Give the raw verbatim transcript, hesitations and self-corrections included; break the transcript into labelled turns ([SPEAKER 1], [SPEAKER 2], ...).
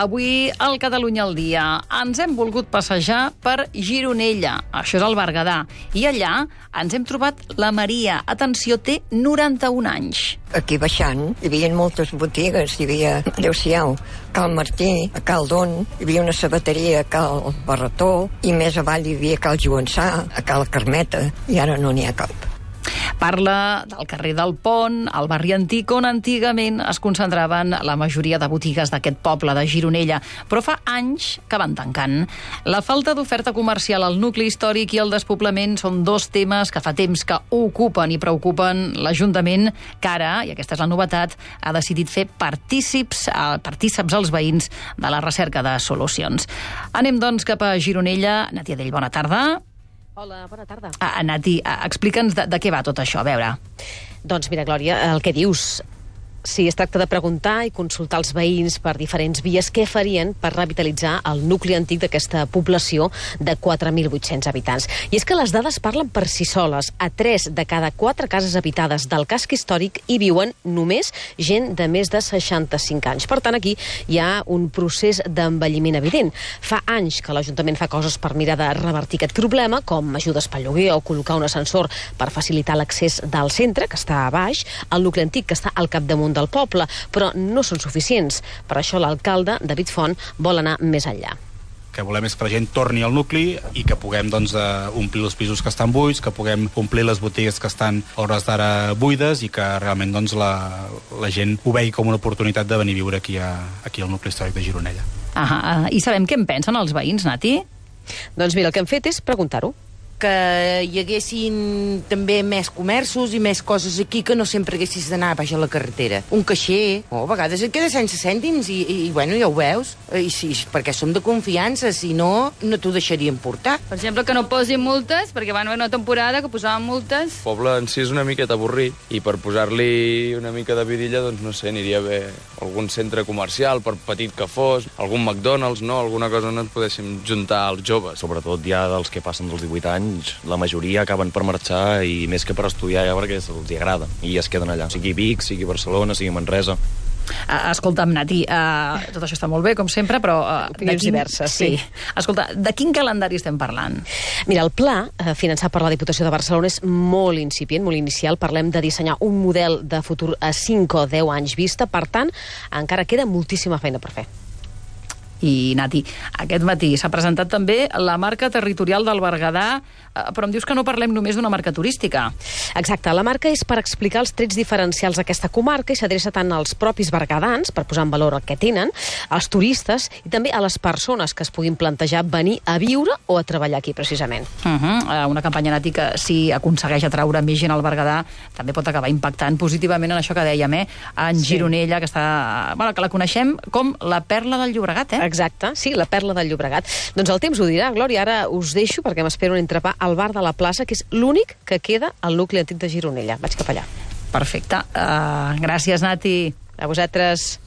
[SPEAKER 1] Avui, al Catalunya al dia, ens hem volgut passejar per Gironella, això és el Berguedà, i allà ens hem trobat la Maria. Atenció, té noranta-un anys.
[SPEAKER 2] Aquí baixant hi havia moltes botigues, hi havia, adeu-siau, Cal Martí, a Cal Don, hi havia una sabateria a Cal Barretó, i més avall hi havia Cal Joansà, a Cal Carmeta, i ara no n'hi ha cap.
[SPEAKER 1] Parla del carrer del Pont, el barri antic, on antigament es concentraven la majoria de botigues d'aquest poble de Gironella, però fa anys que van tancant. La falta d'oferta comercial al nucli històric i el despoblament són dos temes que fa temps que ocupen i preocupen l'Ajuntament, que ara, i aquesta és la novetat, ha decidit fer partícips, partícips als veïns de la recerca de solucions. Anem, doncs, cap a Gironella. Natia Dell, bona tarda.
[SPEAKER 3] Hola, bona tarda.
[SPEAKER 1] Ah, Nati, explica'ns de, de què va tot això, a veure.
[SPEAKER 3] Doncs mira, Glòria, el que dius... Si es tracta de preguntar i consultar els veïns per diferents vies què farien per revitalitzar el nucli antic d'aquesta població de quatre mil vuit-cents habitants. I és que les dades parlen per si soles. A tres de cada quatre cases habitades del casc històric hi viuen només gent de més de seixanta-cinc anys. Per tant, aquí hi ha un procés d'envelliment evident. Fa anys que l'Ajuntament fa coses per mirar de revertir aquest problema, com ajudes pel lloguer o col·locar un ascensor per facilitar l'accés del centre, que està a baix, al nucli antic, que està al capdamunt del poble, però no són suficients. Per això l'alcalde, David Font, vol anar més enllà.
[SPEAKER 4] Que volem és que la gent torni al nucli i que puguem doncs, omplir els pisos que estan buits, que puguem omplir les botigues que estan a hores d'ara buides i que realment doncs, la, la gent ho vegi com una oportunitat de venir a viure aquí, a, aquí al nucli històric de Gironella.
[SPEAKER 1] Ah, I sabem què en pensen els veïns, Nati?
[SPEAKER 3] Doncs mira, el que hem fet és preguntar-ho.
[SPEAKER 5] Que hi haguessin també més comerços i més coses aquí, que no sempre haguessis d'anar baix a la carretera. Un caixer, oh, a vegades et queda sense cèntims i, i, i bueno, ja ho veus. I sí, perquè som de confiança, si no, no t'ho deixarien portar.
[SPEAKER 6] Per exemple, que no posin multes, perquè van haver una temporada que posaven multes.
[SPEAKER 7] El poble en si és una miqueta avorrit, i per posar-li una mica de vidilla, doncs no sé, aniria bé algun centre comercial, per petit que fos, algun McDonald's, no? Alguna cosa on ens podéssim juntar els joves.
[SPEAKER 8] Sobretot ja dels que passen dels divuit anys, la majoria acaben per marxar i més que per estudiar ja perquè els agrada i es queden allà, sigui Vic, sigui Barcelona, sigui Manresa.
[SPEAKER 1] Uh, escolta'm, Nati, uh, tot això està molt bé, com sempre, però... Uh,
[SPEAKER 3] Opinions quin... diverses, sí. sí.
[SPEAKER 1] Escolta, de quin calendari estem parlant?
[SPEAKER 3] Mira, el pla, eh, finançat per la Diputació de Barcelona, és molt incipient, molt inicial. Parlem de dissenyar un model de futur a cinc o deu anys vista, per tant, encara queda moltíssima feina per fer.
[SPEAKER 1] I, Nati, aquest matí s'ha presentat també la marca territorial del Berguedà, però em dius que no parlem només d'una marca turística.
[SPEAKER 3] Exacte, la marca és per explicar els trets diferencials d'aquesta comarca i s'adreça tant als propis berguedans, per posar en valor el que tenen, als turistes i també a les persones que es puguin plantejar venir a viure o a treballar aquí, precisament.
[SPEAKER 1] Uh -huh. Una campanya, Nati, que si aconsegueix atraure més gent al Berguedà també pot acabar impactant positivament en això que dèiem, eh? En sí. Gironella, que està... Bueno, que la coneixem com la perla del Llobregat, eh?
[SPEAKER 3] Exacte, sí, la perla del Llobregat. Doncs el temps ho dirà, Glòria. Ara us deixo perquè m'espero un entrepà al bar de la plaça, que és l'únic que queda al nucli antic de Gironella. Vaig cap allà.
[SPEAKER 1] Perfecte. Uh, gràcies, Nati.
[SPEAKER 3] A vosaltres.